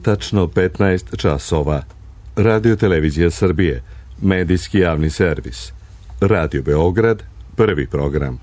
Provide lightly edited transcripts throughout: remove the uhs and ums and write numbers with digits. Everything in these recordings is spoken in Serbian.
tačno 15 časova. Radio Televizija Srbije, medijski javni servis. Radio Beograd, prvi program.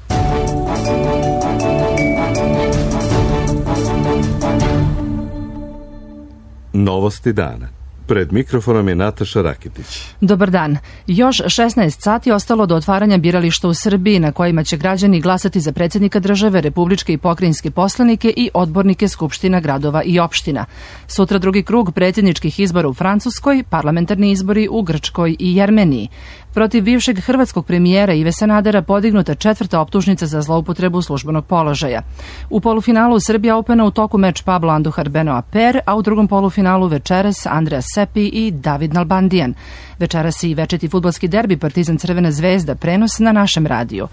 Novosti dana. Pred mikrofonom je Nataša Rakitić. Dobar dan. Još 16 sati ostalo do otvaranja birališta u Srbiji na kojima će građani glasati za predsjednika države, republičke i pokrajinske poslanike i odbornike skupština gradova i opština. Sutra drugi krug predsjedničkih izbora u Francuskoj, parlamentarni izbori u Grčkoj i Jermeniji. Protiv bivšeg hrvatskog premijera Ive Sanadera podignuta 4. optužnica za zloupotrebu službenog položaja. U polufinalu Srbija Opena u toku meč Pablo Andujar Benoa Per, a u drugom polufinalu večeras Andrea Seppi i David Nalbandian. Večeras i večiti fudbalski derbi Partizan Crvena zvezda, prenos na našem radiju.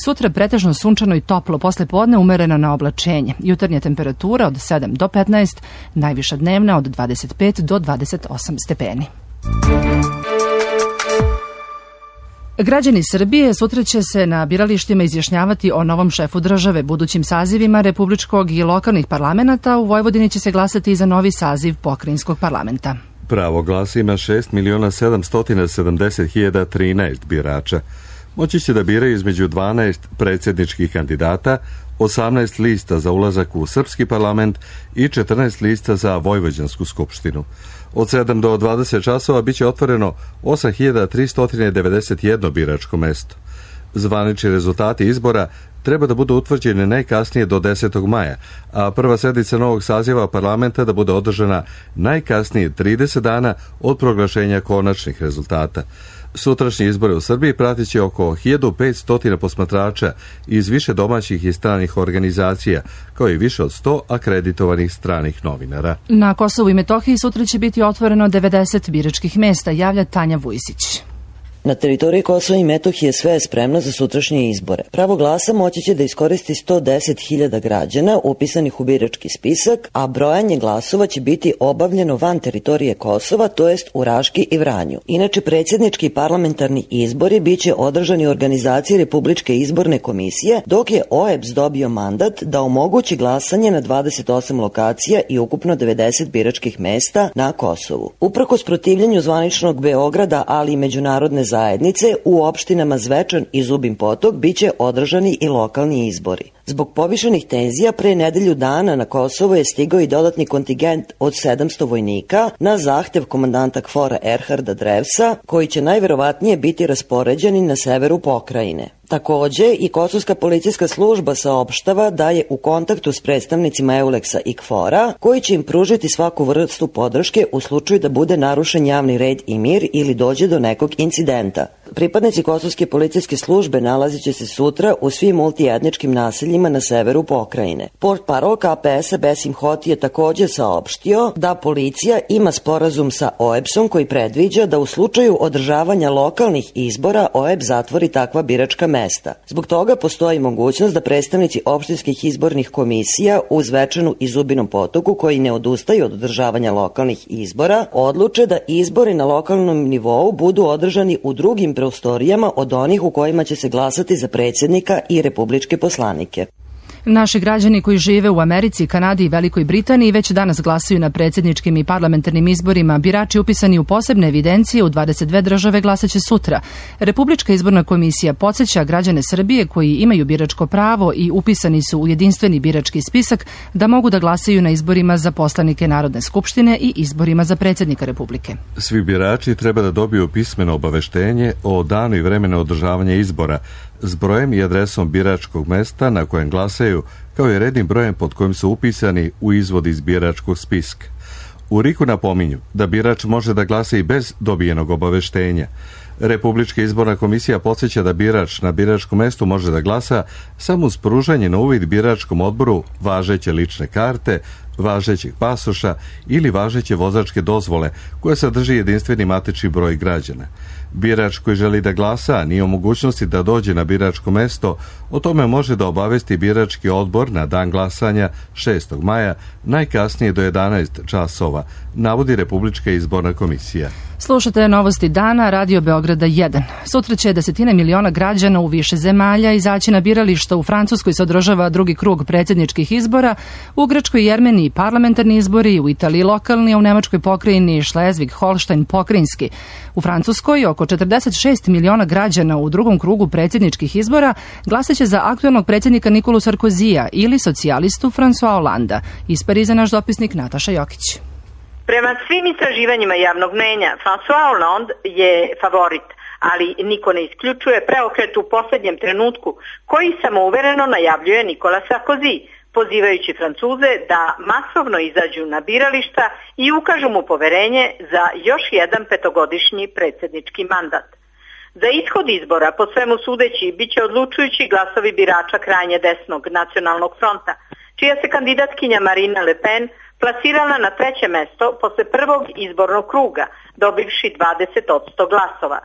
Sutra pretežno sunčano i toplo, posle podne umereno na oblačenje. Jutarnja temperatura od 7 do 15, najviša dnevna od 25 do 28 stepeni. Građani Srbije sutra će se na biralištima izjašnjavati o novom šefu države, budućim sazivima republičkog i lokalnih parlamenta. U Vojvodini će se glasati i za novi saziv pokrajinskog parlamenta. Pravo glasa ima 6.770.013 birača. Moći će da biraju između 12 predsjedničkih kandidata, 18 lista za ulazak u srpski parlament i 14 lista za Vojvođansku skupštinu. Od 7 do 20 časova biće otvoreno 8.391 biračko mesto. Zvanični rezultati izbora treba da budu utvrđeni najkasnije do 10. maja, a prva sednica novog saziva parlamenta da bude održana najkasnije 30 dana od proglašenja konačnih rezultata. Sutrašnji izbore u Srbiji pratit će oko 1500 posmatrača iz više domaćih i stranih organizacija, kao i više od 100 akreditovanih stranih novinara. Na Kosovu i Metohiji sutra će biti otvoreno 90 biračkih mesta, javlja Tanja Vujsić. Na teritoriji Kosova i Metohije sve je spremno za sutrašnje izbore. Pravo glasa moći će da iskoristi 110.000 građana upisanih u birački spisak, a brojanje glasova će biti obavljeno van teritorije Kosova, to jest u Raški i Vranju. Inače, predsjednički i parlamentarni izbori biće održani u organizaciji Republičke izborne komisije, dok je OEBS dobio mandat da omogući glasanje na 28 lokacija i ukupno 90 biračkih mesta na Kosovu. Uprkos protivljenju zvaničnog Beograda, ali i međunarodne zajednice, u opštinama Zvečan i Zubin Potok biće održani i lokalni izbori. Zbog povišenih tenzija pre nedelju dana na Kosovo je stigao i dodatni kontingent od 700 vojnika na zahtev komandanta KFOR-a Erharda Drevsa, koji će najverovatnije biti raspoređeni na severu pokrajine. Takođe, i Kosovska policijska služba saopštava da je u kontaktu s predstavnicima EULEX-a i KFOR-a, koji će im pružiti svaku vrstu podrške u slučaju da bude narušen javni red i mir ili dođe do nekog incidenta. Pripadnici Kosovske policijske službe nalazit će se sutra u svim multietničkim naseljima na severu pokrajine. Portparol KPS-a Besim Hoti je takođe saopštio da policija ima sporazum sa OEBS-om koji predviđa da u slučaju održavanja lokalnih izbora OEBS zatvori takva biračka mesta. Zbog toga postoji mogućnost da predstavnici opštinskih izbornih komisija u Zvečanu i Zubinom Potoku, koji ne odustaju od održavanja lokalnih izbora, odluče da izbori na lokalnom nivou budu održani u drugim prostorijama od onih u kojima će se glasati za predsjednika i republičke poslanike. Naši građani koji žive u Americi, Kanadi i Velikoj Britaniji već danas glasaju na predsjedničkim i parlamentarnim izborima. Birači upisani u posebne evidencije u 22 države glasaće sutra. Republička izborna komisija podsjeća građane Srbije koji imaju biračko pravo i upisani su u jedinstveni birački spisak da mogu da glasaju na izborima za poslanike Narodne skupštine i izborima za predsjednika Republike. Svi birači treba da dobiju pismeno obaveštenje o danu i vremenu održavanja izbora s brojem i adresom biračkog mesta na kojem glasaju, kao i rednim brojem pod kojim su upisani u izvod iz biračkog spiska. U RIK-u napominju da birač može da glasa i bez dobijenog obaveštenja. Republička izborna komisija podsjeća da birač na biračkom mestu može da glasa samo uz pružanje na uvid biračkom odboru važeće lične karte, važećeg pasoša ili važeće vozačke dozvole koja sadrži jedinstveni matični broj građana. Birač koji želi da glasa, a nije u mogućnosti da dođe na biračko mesto, o tome može da obavesti birački odbor na dan glasanja 6. maja, najkasnije do 11 časova, navodi Republička izborna komisija. Slušate novosti dana, Radio Beograda 1. Sutra će 10 miliona građana u više zemalja izaći na birališta. U Francuskoj se održava drugi krug predsjedničkih izbora, u Grčkoj i Jermeniji Španiji parlamentarni izbori, u Italiji lokalni, a u Nemačkoj pokrajini Šlezvig-Holštajn pokrajinski. U Francuskoj oko 46 miliona građana u drugom krugu predsjedničkih izbora glasaće za aktuelnog predsjednika Nikolu Sarkozija ili socijalistu François Hollanda. Iz Pariza naš dopisnik Nataša Jokić. Prema svim istraživanjima javnog mnjenja, François Hollande je favorit, ali niko ne isključuje preokret u posljednjem trenutku koji samouvereno najavljuje Nikola Sarkozy, pozivajući Francuze da masovno izađu na birališta i ukažu mu poverenje za još jedan petogodišnji predsjednički mandat. Za ishod izbora, po svemu sudeći, bit će odlučujući glasovi birača krajnje desnog Nacionalnog fronta, čija se kandidatkinja Marine Le Pen plasirala na treće mesto posle prvog izbornog kruga, dobivši 20% glasova.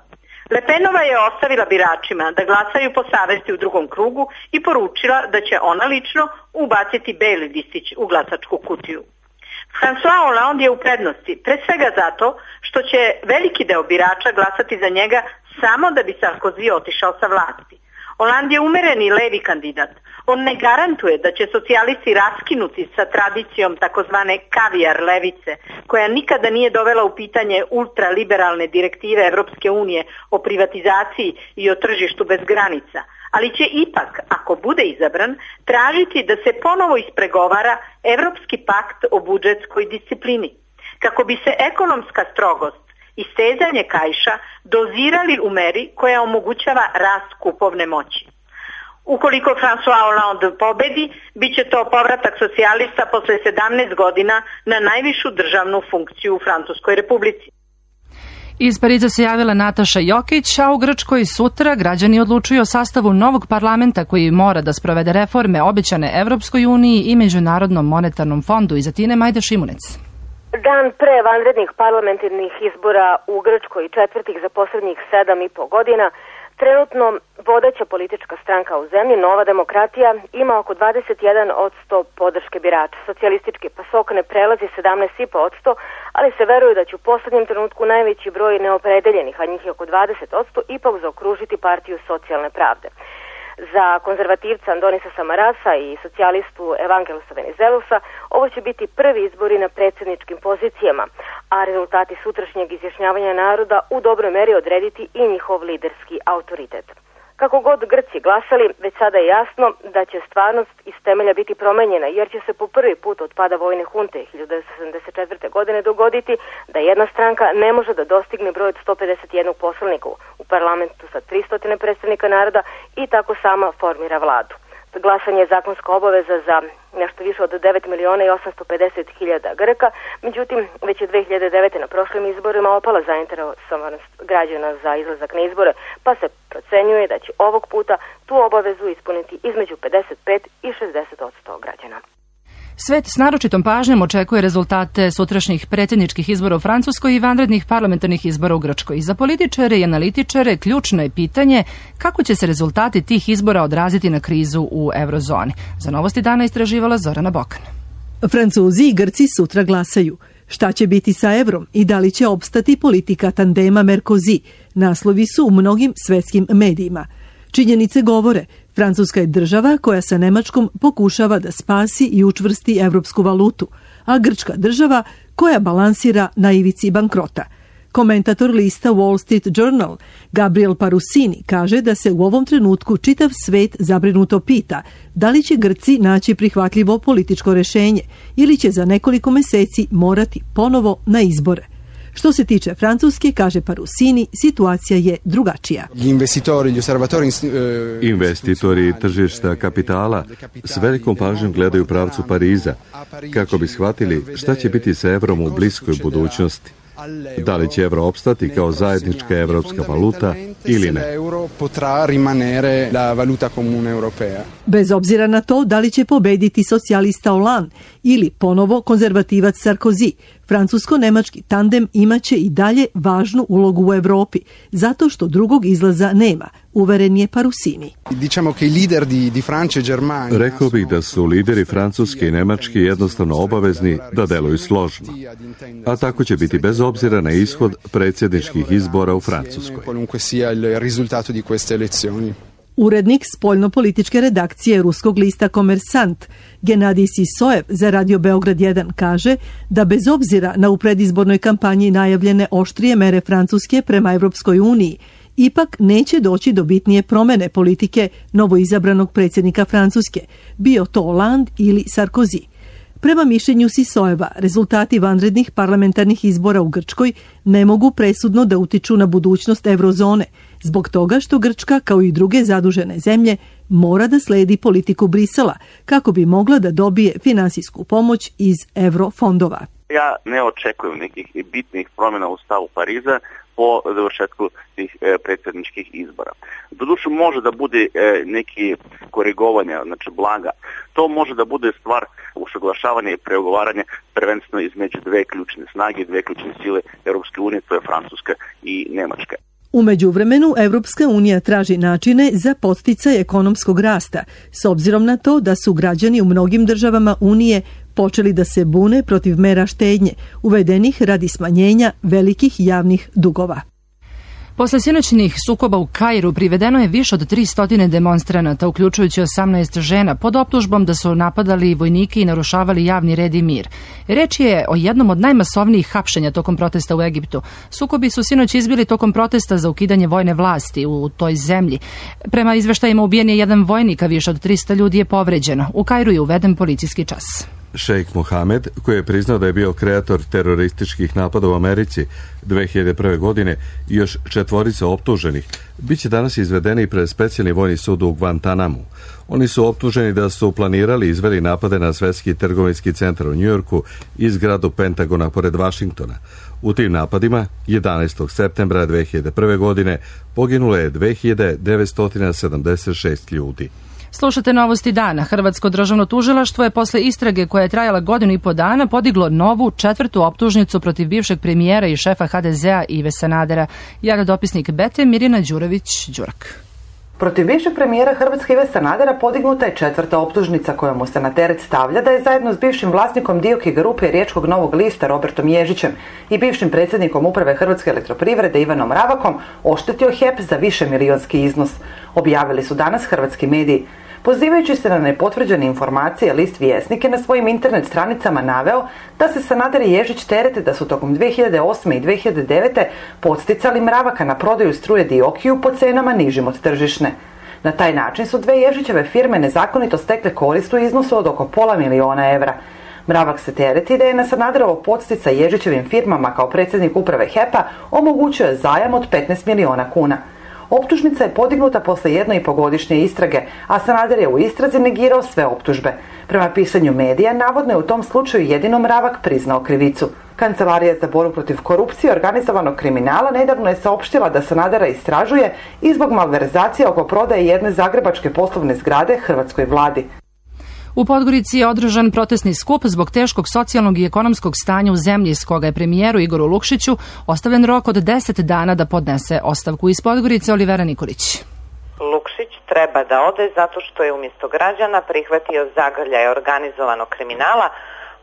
Le Penova je ostavila biračima da glasaju po savesti u drugom krugu i poručila da će ona lično ubaciti beli listić u glasačku kutiju. François Hollande je u prednosti, pre svega zato što će veliki deo birača glasati za njega samo da bi Sarkozy otišao sa vlasti. Hollande je umereni levi kandidat. On ne garantuje da će socijalisti raskinuti sa tradicijom takozvane kavijar levice, koja nikada nije dovela u pitanje ultraliberalne direktive Evropske unije o privatizaciji i o tržištu bez granica, ali će ipak, ako bude izabran, tražiti da se ponovo ispregovara Evropski pakt o budžetskoj disciplini, kako bi se ekonomska strogost i stezanje kaiša dozirali u meri koja omogućava rast kupovne moći. Ukoliko François Hollande pobedi, bit će to povratak socijalista posle 17 godina na najvišu državnu funkciju u Francuskoj republici. Iz Pariza se javila Nataša Jokić, a u Grčkoj sutra građani odlučuju o sastavu novog parlamenta koji mora da sprovede reforme obećane Evropskoj uniji i Međunarodnom monetarnom fondu. Iz Atine Majda Šimunec. Dan pre vanrednih parlamentarnih izbora u Grčkoj, četvrtih za poslednjih 7,5 godina, trenutno vodeća politička stranka u zemlji, Nova demokratija, ima oko 21% podrške birača. Socijalistički PASOK ne prelazi 17,5%, ali se veruje da će u poslednjem trenutku najveći broj neopredeljenih, a njih je oko 20%, ipak zaokružiti partiju socijalne pravde. Za konzervativca Andonisa Samarasa i socijalistu Evangelosa Venizelosa ovo će biti prvi izbori na predsjedničkim pozicijama, a rezultati sutrašnjeg izjašnjavanja naroda u dobroj meri odrediti i njihov liderski autoritet. Kako god Grci glasali, već sada je jasno da će stvarnost iz temelja biti promenjena, jer će se po prvi put od pada vojne hunte 1974. godine dogoditi da jedna stranka ne može da dostigne broj od 151 poslanika u parlamentu sa 300 predstavnika naroda i tako sama formira vladu. Glasanje je zakonska obaveza za nešto više od 9.850.000 Grka, međutim već je 2009. na prošlim izborima opala zainteresovanost građana za izlazak na izbore, pa se procenjuje da će ovog puta tu obavezu ispuniti između 55 i 60% građana. Svet s naročitom pažnjom očekuje rezultate sutrašnjih predsjedničkih izbora u Francuskoj i vanrednih parlamentarnih izbora u Grčkoj. Za političare i analitičare ključno je pitanje kako će se rezultati tih izbora odraziti na krizu u eurozoni. Za Novosti dana istraživala Zorana Bokan. Francuzi i Grci sutra glasaju. Šta će biti sa evrom i da li će opstati politika tandema Merkozy? Naslovi su u mnogim svetskim medijima. Činjenice govore, Francuska je država koja sa Nemačkom pokušava da spasi i učvrsti evropsku valutu, a Grčka država koja balansira na ivici bankrota. Komentator lista Wall Street Journal Gabriel Parusini kaže da se u ovom trenutku čitav svet zabrinuto pita da li će Grci naći prihvatljivo političko rešenje ili će za nekoliko meseci morati ponovo na izbore. Što se tiče Francuske, kaže Parusini, situacija je drugačija. Investitori i tržišta kapitala s velikom pažnjom gledaju pravcu Pariza kako bi shvatili šta će biti sa evrom u bliskoj budućnosti. Da li će evro opstati kao zajednička evropska valuta ili ne. Bez obzira na to da li će pobediti socijalista Hollande ili ponovo konzervativac Sarkozy, francusko-nemački tandem imaće i dalje važnu ulogu u Evropi, zato što drugog izlaza nema, uveren je Parusini. Rekao bih da su lideri Francuske i Nemačke jednostavno obavezni da deluju složno. A tako će biti bez obzira na ishod predsjedničkih izbora u Francuskoj. Urednik spoljnopolitičke redakcije ruskog lista Komersant Genadij Sisojev za Radio Beograd 1 kaže da bez obzira na u predizbornoj kampanji najavljene oštrije mere Francuske prema Evropskoj uniji, ipak neće doći do bitnije promene politike novoizabranog predsjednika Francuske, bio to Hollande ili Sarkozy. Prema mišljenju Sisojeva, rezultati vanrednih parlamentarnih izbora u Grčkoj ne mogu presudno da utiču na budućnost eurozone, zbog toga što Grčka, kao i druge zadužene zemlje, mora da sledi politiku Brisela kako bi mogla da dobije finansijsku pomoć iz eurofondova. Ja ne očekujem nekih bitnih promjena u stavu Pariza po završetku tih predsjedničkih izbora. Doduše može da bude neki korigovanja, znači blaga. To može da bude stvar usaglašavanja i pregovaranja prvenstveno između dve ključne snage, dve ključne sile Europske unije, to je Francuska i Nemačka. U međuvremenu, Evropska unija traži načine za podsticaj ekonomskog rasta, s obzirom na to da su građani u mnogim državama Unije počeli da se bune protiv mera štednje, uvedenih radi smanjenja velikih javnih dugova. Posle sinoćnih sukoba u Kairu privedeno je više od 300 demonstranata, uključujući 18 žena, pod optužbom da su napadali vojnike i narušavali javni red i mir. Reč je o jednom od najmasovnijih hapšenja tokom protesta u Egiptu. Sukobi su sinoć izbili tokom protesta za ukidanje vojne vlasti u toj zemlji. Prema izveštajima ubijen je jedan vojnik, a više od 300 ljudi je povređeno. U Kairu je uveden policijski čas. Šejk Mohamed, koji je priznao da je bio kreator terorističkih napada u Americi 2001. godine i još 4 optuženih, bit će danas izvedeni pred specijalni vojni sud u Guantanamu. Oni su optuženi da su planirali i izveli napade na Svetski trgovinski centar u Njujorku i zgradu Pentagona pored Vašingtona. U tim napadima 11. septembra 2001. godine poginulo je 2976 ljudi. Slušate novosti dana. Hrvatsko državno tužilaštvo je posle istrage koja je trajala 1,5 godina podiglo novu 4. optužnicu protiv bivšeg premijera i šefa HDZ-a Ive Sanadera. Javlja dopisnik Bete Mirjana Đurović-Đurak. Protiv bivšeg premijera Hrvatske Ive Sanadera podignuta je 4. optužnica koja mu se na teret stavlja da je zajedno s bivšim vlasnikom Dioki grupe Riječkog Novog lista Robertom Ježićem i bivšim predsjednikom uprave Hrvatske elektroprivrede Ivanom Ravakom oštetio HEP za višemilionski iznos. Objavili su danas hrvatski mediji. Pozivajući se na nepotvrđene informacije, list Vjesnik je na svojim internet stranicama naveo da se Sanader i Ježić terete da su tokom 2008. i 2009. podsticali Mravaka na prodaju struje Diokiju po cenama nižim od tržišne. Na taj način su dve Ježićeve firme nezakonito stekle korist u iznosu od oko $500.000 evra. Mravak se tereti da je na Sanaderovo podsticaj Ježićevim firmama kao predsjednik uprave HEP-a omogućio zajam od 15 miliona kuna. Optužnica je podignuta posle 1,5-godišnje istrage, a Sanader je u istrazi negirao sve optužbe. Prema pisanju medija, navodno je u tom slučaju jedino Mravak priznao krivicu. Kancelarija za borbu protiv korupcije i organizovanog kriminala nedavno je saopštila da Sanadera istražuje i zbog malverzacije oko prodaje jedne zagrebačke poslovne zgrade hrvatskoj vladi. U Podgorici je održan protestni skup zbog teškog socijalnog i ekonomskog stanja u zemlji, s koga je premijeru Igoru Lukšiću ostavljen rok od 10 dana da podnese ostavku. Iz Podgorice Olivera Nikolić. Lukšić treba da ode zato što je umjesto građana prihvatio zagrljaj organizovanog kriminala,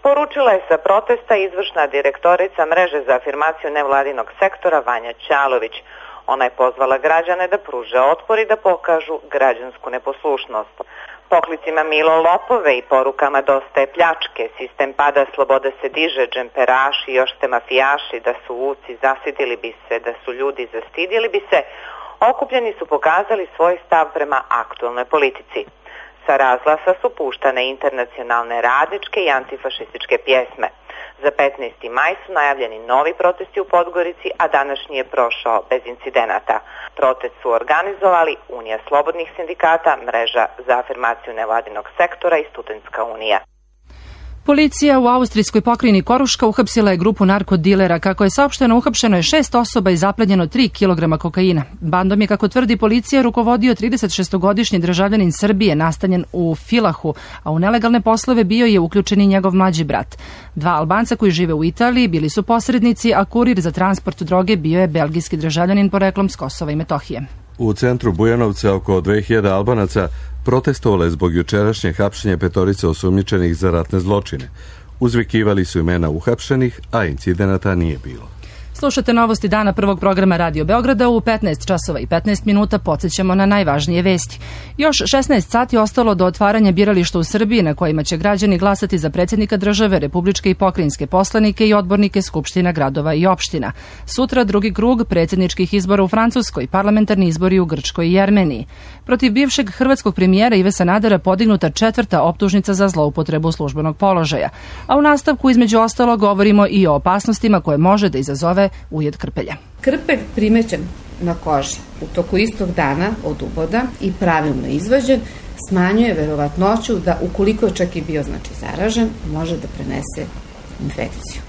poručila je sa protesta izvršna direktorica mreže za afirmaciju nevladinog sektora Vanja Ćalović. Ona je pozvala građane da pruže otpor i da pokažu građansku neposlušnost. Poklicima Milo lopove i porukama dosta je pljačke, sistem pada, sloboda se diže, džemperaši, još ste mafijaši, da su uci, zasidili bi se, da su ljudi zastidili bi se, okupljeni su pokazali svoj stav prema aktualnoj politici. Sa razglasa su puštane internacionalne radničke i antifašističke pjesme. Za 15. maj su najavljeni novi protesti u Podgorici, a današnji je prošao bez incidenata. Protest su organizovali Unija slobodnih sindikata, Mreža za afirmaciju nevladinog sektora i Studentska unija. Policija u austrijskoj pokrajini Koruška uhapsila je grupu narkodilera. Kako je saopšteno, uhapšeno je 6 osoba i zaplenjeno 3 kg kokaina. Bandom je, kako tvrdi policija, rukovodio 36-godišnji državljanin Srbije nastanjen u Filahu, a u nelegalne poslove bio je uključen i njegov mlađi brat. 2 Albanca koji žive u Italiji bili su posrednici, a kurir za transport droge bio je belgijski državljanin poreklom s Kosova i Metohije. U centru Bujanovca oko 2000 Albanaca protestovalo je zbog jučerašnjeg hapšenja 5 osumnjičenih za ratne zločine. Uzvikivali su imena uhapšenih, a incidenata nije bilo. Slušate novosti dana prvog programa Radio Beograda. U 15 časova i 15 minuta podsjećamo na najvažnije vesti. Još 16 sati ostalo do otvaranja birališta u Srbiji na kojima će građani glasati za predsjednika države, republičke i pokrajinske poslanike i odbornike skupština gradova i opština. Sutra drugi krug predsjedničkih izbora u Francuskoj, parlamentarni izbori u Grčkoj i Jermeniji. Protiv bivšeg hrvatskog premijera Ive Sanadera podignuta 4. optužnica za zloupotrebu službenog položaja. A u nastavku između ostalo govorimo i o opasnostima koje može da izazove ujed krpelja. Krpelj primećen na koži u toku istog dana od uboda i pravilno izvađen smanjuje verovatnoću da ukoliko je čak i bio zaražen, može da prenese infekciju.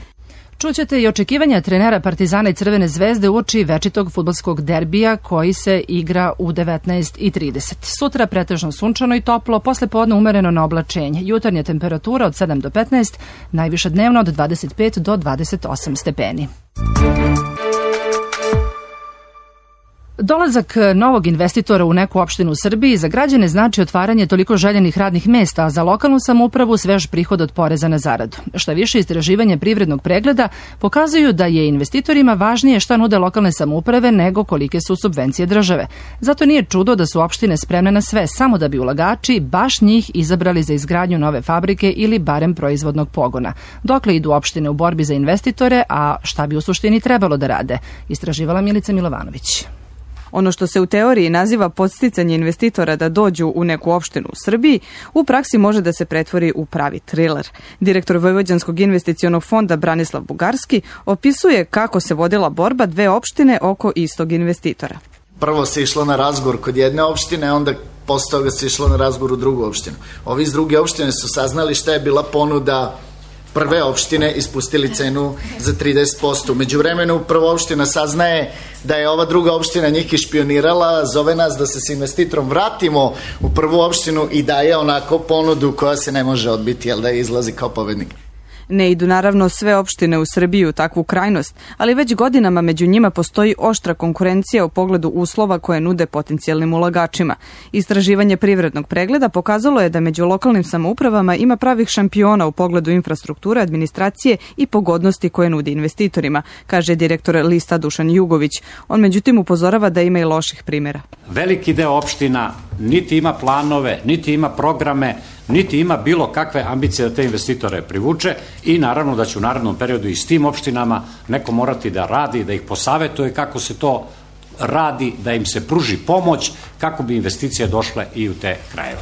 Čućete i očekivanja trenera Partizana i Crvene zvezde uoči večitog fudbalskog derbija koji se igra u 19:30. Sutra pretežno sunčano i toplo, posle podne umereno na oblačenje. Jutarnja temperatura od 7 do 15, najviša dnevno od 25 do 28 stepeni. Dolazak novog investitora u neku opštinu u Srbiji za građane znači otvaranje toliko željenih radnih mesta, a za lokalnu samoupravu svež prihod od poreza na zaradu. Šta više, istraživanje privrednog pregleda pokazuju da je investitorima važnije šta nude lokalne samouprave nego kolike su subvencije države. Zato nije čudo da su opštine spremne na sve, samo da bi ulagači baš njih izabrali za izgradnju nove fabrike ili barem proizvodnog pogona. Dokle idu opštine u borbi za investitore, a šta bi u suštini trebalo da rade? Istraživala Milica Milovanović. Ono što se u teoriji naziva podsticanje investitora da dođu u neku opštinu u Srbiji, u praksi može da se pretvori u pravi triler. Direktor Vojvođanskog investicionog fonda Branislav Bugarski opisuje kako se vodila borba dve opštine oko istog investitora. Prvo se išlo na razgovor kod jedne opštine, onda posle toga se išlo na razgovor u drugu opštinu. Ovi iz druge opštine su saznali šta je bila ponuda prve opštine, ispustili cenu za 30%. Među vremenu prva opština saznaje da je ova druga opština njih išpionirala, zove nas da se s investitorom vratimo u prvu opštinu i daje onako ponudu koja se ne može odbiti, jel da izlazi kao pobednik. Ne idu naravno sve opštine u Srbiji u takvu krajnost, ali već godinama među njima postoji oštra konkurencija u pogledu uslova koje nude potencijalnim ulagačima. Istraživanje privrednog pregleda pokazalo je da među lokalnim samoupravama ima pravih šampiona u pogledu infrastrukture, administracije i pogodnosti koje nudi investitorima, kaže direktor lista Dušan Jugović. On međutim upozorava da ima i loših primjera. Veliki deo opština niti ima planove, niti ima programe, niti ima bilo kakve ambicije da te investitore privuče i naravno da će u narednom periodu i s tim opštinama neko morati da radi, da ih posavetuje kako se to radi, da im se pruži pomoć kako bi investicije došle i u te krajeve.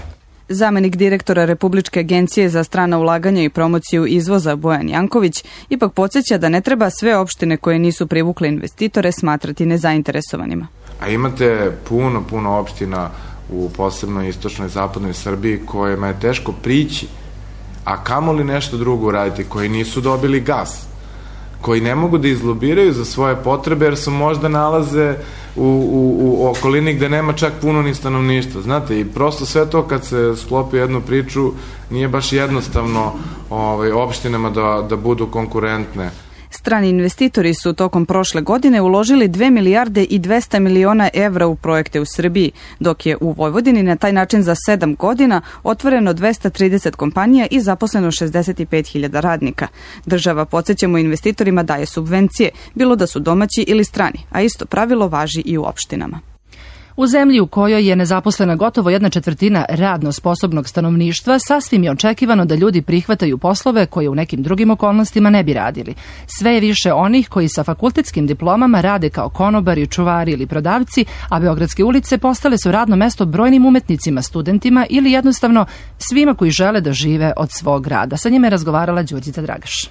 Zamenik direktora Republičke agencije za strana ulaganja i promociju izvoza Bojan Janković ipak podsjeća da ne treba sve opštine koje nisu privukle investitore smatrati nezainteresovanima. A imate puno opština u posebno istočnoj zapadnoj Srbiji kojima je teško prići, a kamoli nešto drugo uraditi, koji nisu dobili gas, koji ne mogu da izlobiraju za svoje potrebe jer se možda nalaze u okolini gde nema čak puno ni stanovništva. Znate, i prosto sve to kad se sklopi jednu priču nije baš jednostavno opštinama da budu konkurentne. Strani investitori su tokom prošle godine uložili 2 milijarde i 200 miliona evra u projekte u Srbiji, dok je u Vojvodini na taj način za 7 godina otvoreno 230 kompanija i zaposleno 65.000 radnika. Država, podsjećamo, investitorima daje subvencije, bilo da su domaći ili strani, a isto pravilo važi i u opštinama. U zemlji u kojoj je nezaposlena gotovo 1/4 radno sposobnog stanovništva, sasvim je očekivano da ljudi prihvataju poslove koje u nekim drugim okolnostima ne bi radili. Sve je više onih koji sa fakultetskim diplomama rade kao konobari, čuvari ili prodavci, a beogradske ulice postale su radno mesto brojnim umetnicima, studentima ili jednostavno svima koji žele da žive od svog rada. Sa njima je razgovarala Đurđica Dragaš.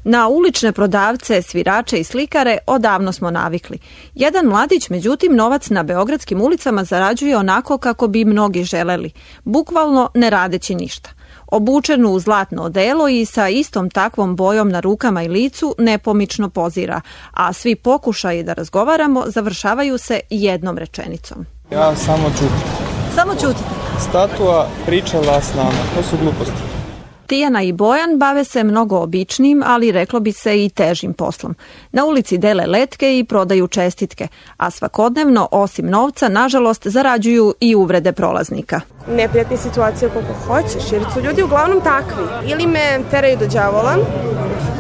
Na ulične prodavce, svirače i slikare odavno smo navikli. Jedan mladić, međutim, novac na beogradskim ulicama zarađuje onako kako bi mnogi želeli, bukvalno ne radeći ništa. Obučen u zlatno odelo i sa istom takvom bojom na rukama i licu nepomično pozira, a svi pokušaji da razgovaramo završavaju se jednom rečenicom. Ja samo ćutim. Samo ćutite? Statua pričala s nama, to su gluposti. Tijana i Bojan bave se mnogo običnim, ali reklo bi se i težim poslom. Na ulici dele letke i prodaju čestitke, a svakodnevno, osim novca, nažalost, zarađuju i uvrede prolaznika. Neprijatne situacije koliko hoćeš, jer su ljudi uglavnom takvi. Ili me teraju do đavola,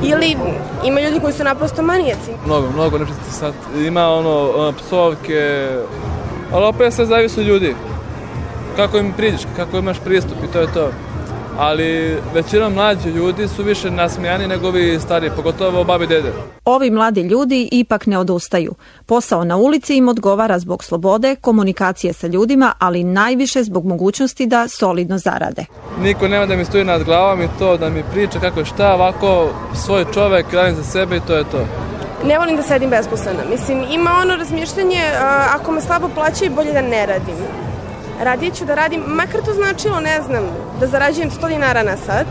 ili ima ljudi koji su naprosto manijaci. Mnogo nečasti sad. Ima psovke, ali opet sve zavisi od ljudi. Kako im priđeš, kako imaš pristup i to je to. Ali većina mlađi ljudi su više nasmijani nego ovi stari, pogotovo babi i dede. Ovi mladi ljudi ipak ne odustaju. Posao na ulici im odgovara zbog slobode, komunikacije sa ljudima, ali najviše zbog mogućnosti da solidno zarade. Niko nema da mi stoji nad glavom i to da mi priča kako šta, ovako svoj čovek, radim za sebe i to je to. Ne volim da sedim besposlena. Mislim, ima ono razmišljanje, ako me slabo plaćaju, bolje da ne radim. Radije ću da radim, makar to značilo, ne znam, da zarađujem 100 dinara na sat,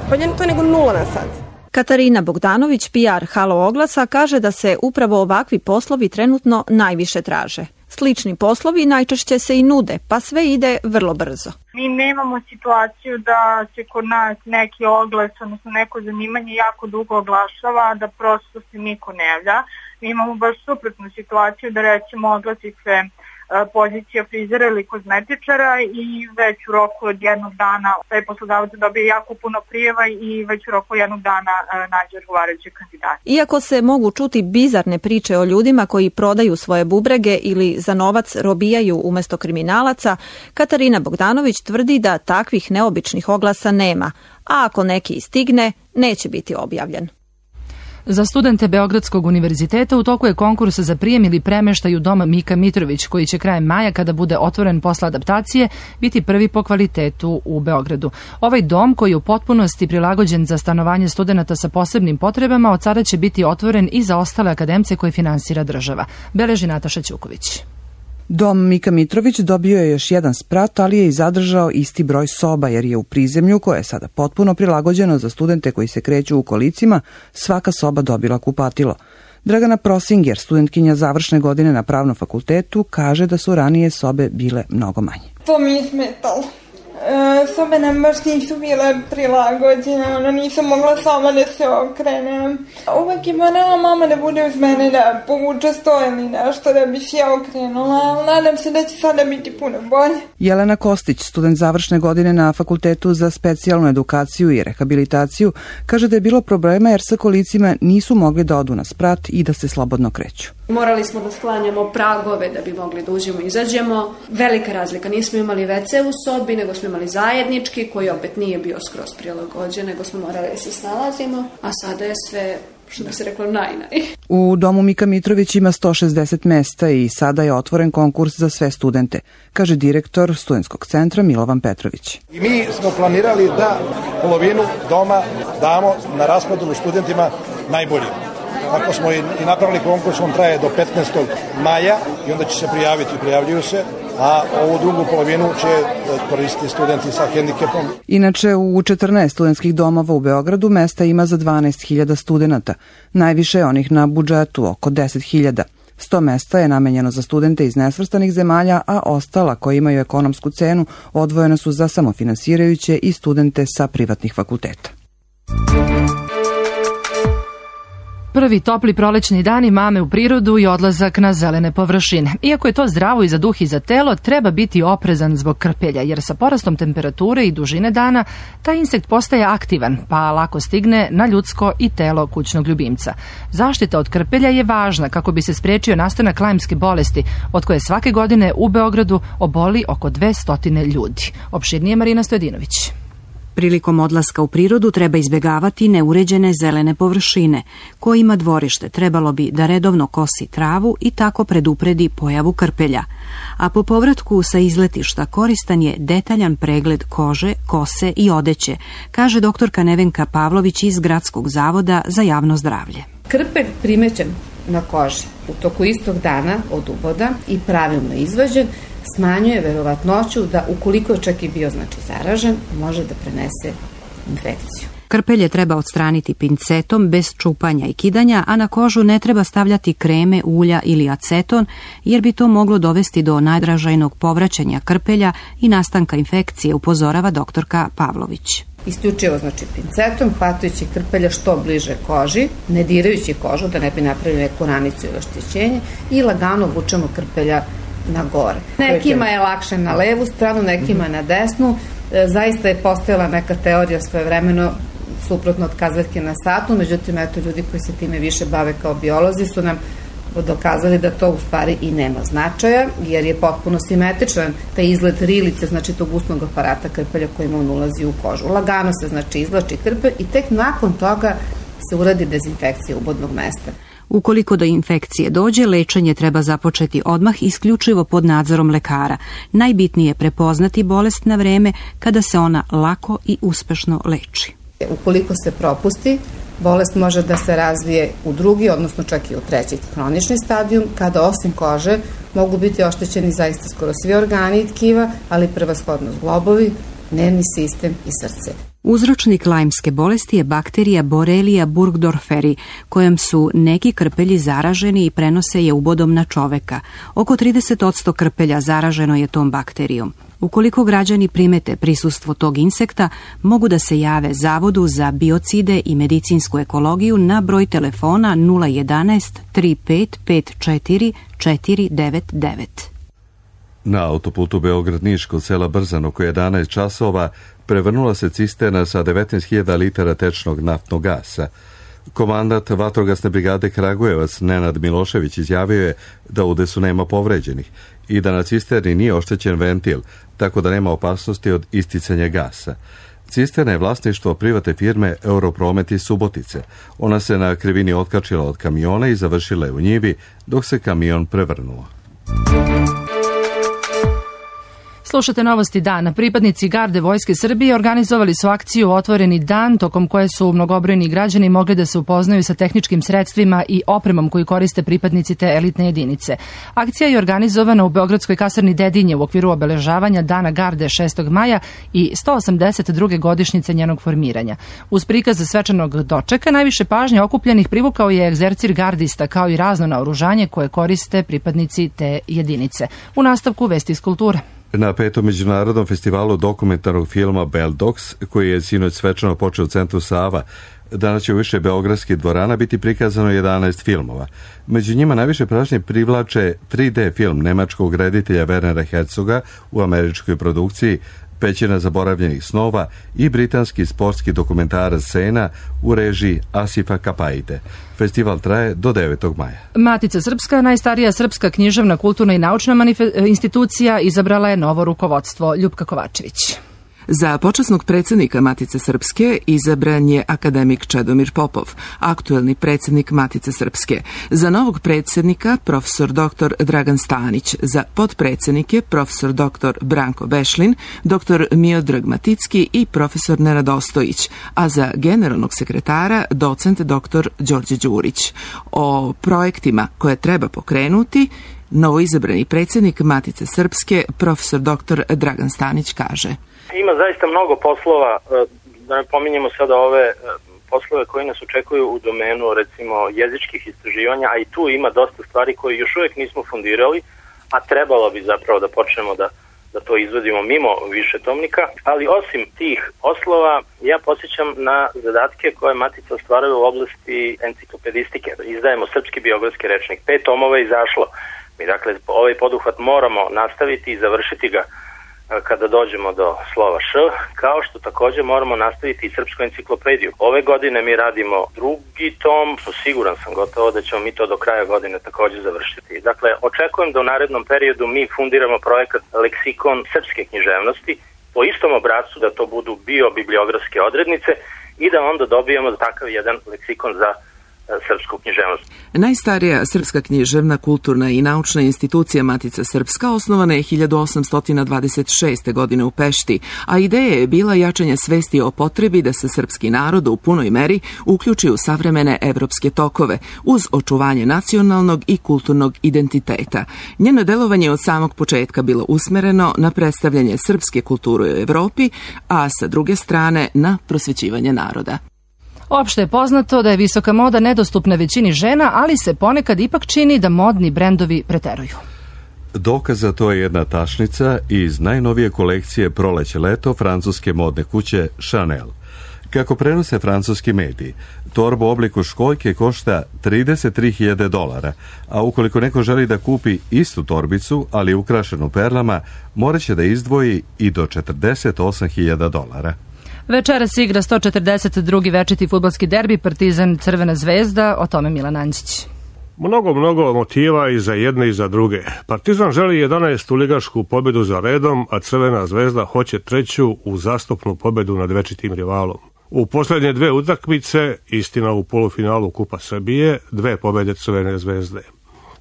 bolje to nego 0 na sat. Katarina Bogdanović, PR Halo oglasa, kaže da se upravo ovakvi poslovi trenutno najviše traže. Slični poslovi najčešće se i nude, pa sve ide vrlo brzo. Mi nemamo situaciju da se kod nas neki oglas, odnosno neko zanimanje jako dugo oglašava, da prosto se niko ne javlja. Mi imamo baš suprotnu situaciju da recimo oglasi se pozicija frizera ili kozmetičara i već u roku od jednog dana taj poslodavac dobije jako puno prijeva i već u roku jednog dana nađe odgovarajuće kandidate. Iako se mogu čuti bizarne priče o ljudima koji prodaju svoje bubrege ili za novac robijaju umesto kriminalaca, Katarina Bogdanović tvrdi da takvih neobičnih oglasa nema, a ako neki stigne, neće biti objavljen. Za studente Beogradskog univerziteta u toku je konkurs za prijem ili premeštaj u dom Mika Mitrović, koji će krajem maja, kada bude otvoren posle adaptacije, biti prvi po kvalitetu u Beogradu. Ovaj dom, koji je u potpunosti prilagođen za stanovanje studenata sa posebnim potrebama, od sada će biti otvoren i za ostale akademce koje finansira država. Beleži Nataša Ćuković. Dom Mika Mitrović dobio je još jedan sprat, ali je i zadržao isti broj soba, jer je u prizemlju, koje je sada potpuno prilagođeno za studente koji se kreću u kolicima, svaka soba dobila kupatilo. Dragana Prosinger, studentkinja završne godine na Pravnom fakultetu, kaže da su ranije sobe bile mnogo manje. To mi je smetalo. Sobe nam baš nisu bile prilagođene, nisam mogla sama da se okrenem. Uvek je morala mama da bude uz mene da povuče sto ili nešto da bi se ja okrenula, ali nadam se da će sada biti puno bolje. Jelena Kostić, student završne godine na Fakultetu za specijalnu edukaciju i rehabilitaciju, kaže da je bilo problema jer sa kolicima nisu mogli da odu na sprat i da se slobodno kreću. Morali smo da sklanjamo pragove da bi mogli da uđemo i izađemo. Velika razlika, nismo imali WC u sobi, nego smo imali zajednički, koji opet nije bio skroz prilagođen, nego smo morali da se snalazimo, a sada je sve, što bi se reklo, naj. U domu Mika Mitrović ima 160 mesta i sada je otvoren konkurs za sve studente, kaže direktor studentskog centra Milovan Petrović. I mi smo planirali da polovinu doma damo na raspodelu studentima najboljim. Ako smo i napravili konkurs, on traje do 15. maja i onda će se prijavljuju se, a ovu drugu polovinu će koristiti studenti sa hendikepom. Inače, u 14 studentskih domova u Beogradu mesta ima za 12.000 studenata. Najviše je onih na budžetu, oko 10.000. 100 mesta je namenjeno za studente iz nesvrstanih zemalja, a ostala koji imaju ekonomsku cenu odvojena su za samofinansirajuće i studente sa privatnih fakulteta. Prvi topli prolećni dani mame u prirodu i odlazak na zelene površine. Iako je to zdravo i za duh i za telo, treba biti oprezan zbog krpelja, jer sa porastom temperature i dužine dana taj insekt postaje aktivan, pa lako stigne na ljudsko i telo kućnog ljubimca. Zaštita od krpelja je važna kako bi se sprečio nastanak lajmske bolesti, od koje svake godine u Beogradu oboli oko 200 ljudi. Opširnije Marina Stojedinović. Prilikom odlaska u prirodu treba izbjegavati neuređene zelene površine. Ko ima dvorište trebalo bi da redovno kosi travu i tako predupredi pojavu krpelja. A po povratku sa izletišta koristan je detaljan pregled kože, kose i odeće, kaže doktorka Nevenka Pavlović iz Gradskog zavoda za javno zdravlje. Krpelj primećen na koži u toku istog dana od uboda i pravilno izvađen smanjuje verovatnoću da, ukoliko je čak i bio zaražen, može da prenese infekciju. Krpelje treba odstraniti pincetom bez čupanja i kidanja, a na kožu ne treba stavljati kreme, ulja ili aceton, jer bi to moglo dovesti do najdražajnog povraćanja krpelja i nastanka infekcije, upozorava doktorka Pavlović. Isključivo pincetom, hvatajući krpelja što bliže koži, ne dirajući kožu da ne bi napravili neku ranicu ili oštećenje, i lagano vučemo krpelja na gore. Nekima je lakše na levu stranu, nekima na desnu. Zaista je postojala neka teorija svojevremeno, suprotno od kazaljke na satu, međutim, eto, ljudi koji se time više bave kao biolozi su nam dokazali da to u stvari i nema značaja, jer je potpuno simetričan taj izgled rilice, znači tog usnog aparata krpelja kojim on ulazi u kožu. Lagano se znači izvlači krpelj i tek nakon toga se uradi dezinfekcija ubodnog mesta. Ukoliko do infekcije dođe, lečenje treba započeti odmah isključivo pod nadzorom lekara. Najbitnije je prepoznati bolest na vreme kada se ona lako i uspešno leči. Ukoliko se propusti, bolest može da se razvije u drugi, odnosno čak i u treći hronični stadijum, kada osim kože mogu biti oštećeni zaista skoro svi organi i tkiva, ali prevashodno zglobovi, nervni sistem i srce. Uzročnik lajmske bolesti je bakterija Borrelia burgdorferi, kojom su neki krpelji zaraženi i prenose je ubodom na čoveka. Oko 30% krpelja zaraženo je tom bakterijom. Ukoliko građani primete prisustvo tog insekta, mogu da se jave Zavodu za biocide i medicinsku ekologiju na broj telefona 011 3554 499. Na autoputu Beograd-Niš kod sela Brzan oko 11 časova prevrnula se cisterna sa 19.000 litara tečnog naftnog gasa. Komandant vatrogasne brigade Kragujevac Nenad Milošević izjavio je da u udesu nema povređenih i da na cisterni nije oštećen ventil, tako da nema opasnosti od isticanja gasa. Cisterna je vlasništvo privatne firme Europromet iz Subotice. Ona se na krivini otkačila od kamiona i završila je u njivi dok se kamion prevrnuo. Slušate novosti dana. Pripadnici garde Vojske Srbije organizovali su akciju Otvoreni dan, tokom koje su mnogobrojni građani mogli da se upoznaju sa tehničkim sredstvima i opremom koju koriste pripadnici te elitne jedinice. Akcija je organizovana u Beogradskoj kasarni Dedinje u okviru obeležavanja Dana garde 6. maja i 182. godišnjice njenog formiranja. Uz prikaz svečanog dočeka najviše pažnje okupljenih privukao je egzercir gardista kao i razno naoružanje koje koriste pripadnici te jedinice. U nastavku vesti iz kulture. Na 5. međunarodnom festivalu dokumentarnog filma Beldox, koji je sinoć svečano počeo u centru Sava, danas će u više beogradskih dvorana biti prikazano 11 filmova. Među njima najviše pažnje privlače 3D film nemačkog reditelja Wernera Herzoga u američkoj produkciji Pećina zaboravljenih snova i britanski sportski dokumentarac Sena u režiji Asifa Kapaide. Festival traje do 9. maja. Matica Srpska, najstarija srpska književna, kulturna i naučna institucija, izabrala je novo rukovodstvo. Ljupka Kovačević. Za počasnog predsjednika Matice Srpske izabran je akademik Čedomir Popov, aktuelni predsjednik Matice Srpske. Za novog predsjednika profesor dr. Dragan Stanić, za potpredsjednike profesor dr. Branko Bešlin, dr. Miodrag Maticki i profesor Nenad Ostojić, a za generalnog sekretara docent dr. Đorđe Đurić. O projektima koje treba pokrenuti novoizabrani predsjednik Matice Srpske profesor dr. Dragan Stanić kaže: Ima zaista mnogo poslova, da ne pominjemo sada ove poslove koji nas očekuju u domenu recimo jezičkih istraživanja, a i tu ima dosta stvari koje još uvijek nismo fundirali, a trebalo bi zapravo da počnemo da to izvodimo mimo višetomnika. Ali osim tih poslova, ja podsjećam na zadatke koje Matica ostvaruje u oblasti enciklopedistike. Izdajemo srpski biografski rečnik, 5 tomova je izašlo. Mi dakle ovaj poduhvat moramo nastaviti i završiti ga kada dođemo do slova Š, kao što također moramo nastaviti i srpsku enciklopediju. Ove godine mi radimo 2. tom, siguran sam gotovo da ćemo mi to do kraja godine također završiti. Dakle, očekujem da u narednom periodu mi fundiramo projekat Leksikon srpske književnosti po istom obrascu, da to budu biobibliografske odrednice i da onda dobijemo takav jedan leksikon za srpsku književnost. Najstarija srpska književna, kulturna i naučna institucija Matica Srpska osnovana je 1826. godine u Pešti, a ideja je bila jačanje svesti o potrebi da se srpski narod u punoj meri uključi u savremene evropske tokove, uz očuvanje nacionalnog i kulturnog identiteta. Njeno delovanje od samog početka bilo usmereno na predstavljanje srpske kulture u Evropi, a sa druge strane na prosvećivanje naroda. Opšte je poznato da je visoka moda nedostupna većini žena, ali se ponekad ipak čini da modni brendovi preteruju. Dokaz za to je jedna tašnica iz najnovije kolekcije Proleće-leto francuske modne kuće Chanel. Kako prenose francuski mediji, torba u obliku školjke košta $33.000, a ukoliko neko želi da kupi istu torbicu, ali ukrašenu perlama, morat će da izdvoji i do $48.000. Večeras igra 142. večiti fudbalski derbi Partizan Crvena zvezda, o tome Milan Anđić. Mnogo motiva i za jedne i za druge. Partizan želi 11. ligašku pobedu za redom, a Crvena zvezda hoće 3. uzastopnu pobedu nad večitim rivalom. U posljednje 2 utakmice, istina u polufinalu Kupa Srbije, 2 pobede Crvene zvezde.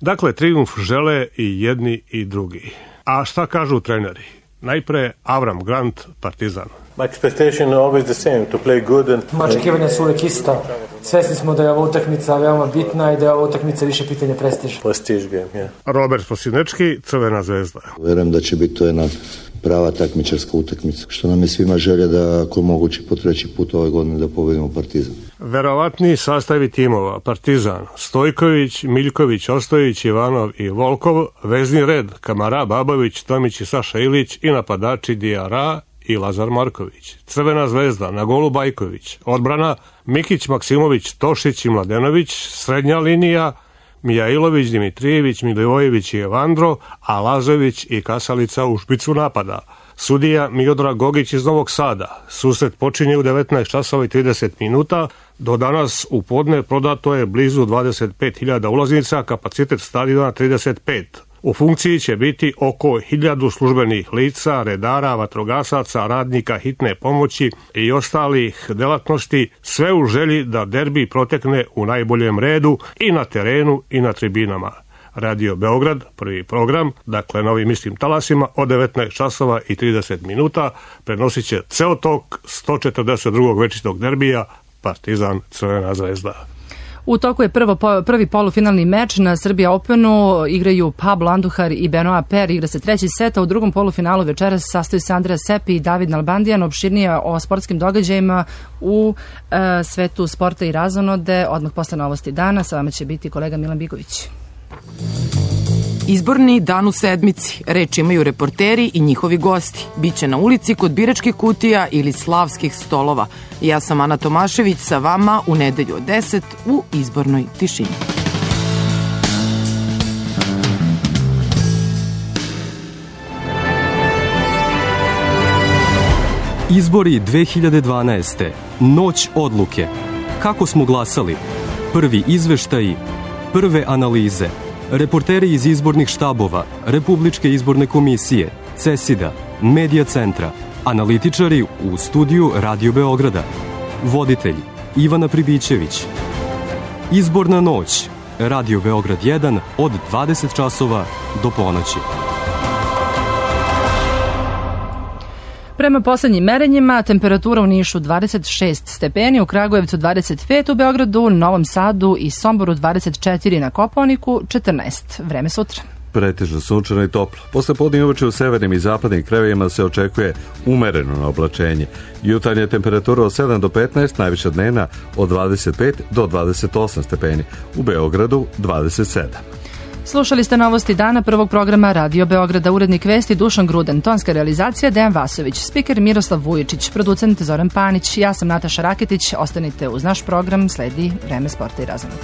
Dakle, trijumf žele i jedni i drugi. A šta kažu treneri? Najpre Avram Grant, Partizan. Moja očekivanja su uvijek ista. Svesni smo da je ova utakmica veoma bitna i da je ova utakmica više pitanje prestiža. Robert Posinečki, Crvena zvezda. Vjerujem da će biti to jedna prava takmičarska utakmica, što nam je svima želja da ako moguće po 3. put ove godine da pobedimo Partizan. Verovatni sastavi timova: Partizan, Stojković, Miljković, Ostojić, Ivanov i Volkov, vezni red Kamara, Babović, Tomić i Saša Ilić i napadači Dijara i Lazar Marković. Crvena zvezda, na golu Bajković, odbrana Mikić, Maksimović, Tošić i Mladenović, srednja linija Mijailović, Dimitrijević, Milivojević i Evandro, a Lazović i Kasalica u špicu napada. Sudija Miodrag Gogić iz Novog Sada. Susret počinje u 19 časova i 30 minuta. Do danas u podne prodato je blizu 25.000 ulaznica, kapacitet stadiona 35. U funkciji će biti oko 1000 službenih lica, redara, vatrogasaca, radnika hitne pomoći i ostalih delatnosti, sve u želji da derbi protekne u najboljem redu i na terenu i na tribinama. Radio Beograd, prvi program, dakle na ovim istim talasima, od 19 časova i 30 minuta prenosit će ceo tok 142. večitog derbija Partizan Crvena zvezda. U toku je prvi polufinalni meč na Srbija Openu, igraju Pablo Andujar i Benoit Per, igra se 3. set, a u drugom polufinalu večeras sastoji se Andrea Sepi i David Nalbandijan. Opširnije o sportskim događajima u svetu sporta i razonode odmah posle novosti dana. Sa vama će biti kolega Milan Bigović. Izborni dan u sedmici. Reč imaju reporteri i njihovi gosti. Biće na ulici kod biračkih kutija ili slavskih stolova. Ja sam Ana Tomašević sa vama u nedelju od 10 u izbornoj tišini. Izbori 2012. Noć odluke. Kako smo glasali? Prvi izveštaji, prve analize. Reporteri iz izbornih štabova, Republičke izborne komisije, CESID-a, Medija centra, analitičari u studiju Radio Beograda, voditelj Ivana Pribićević. Izborna noć, Radio Beograd 1 od 20 časova do ponoći. Prema poslednjim merenjima, temperatura u Nišu 26 stepeni, u Kragujevcu 25, u Beogradu, Novom Sadu i Somboru 24, na Kopaoniku 14. Vreme sutra. Pretežno sunčano i toplo. Posle podne uveče u severnim i zapadnim krajevima se očekuje umereno oblačenje. Jutarnja temperatura od 7 do 15, najviša dnevna od 25 do 28 stepeni. U Beogradu 27. Slušali ste novosti dana prvog programa Radio Beograda, urednik vesti Dušan Gruden, tonska realizacija Dejan Vasović, spiker Miroslav Vujičić, producent Zoran Panić, ja sam Nataša Raketić, ostanite uz naš program, sledi Vreme sporta i razonode.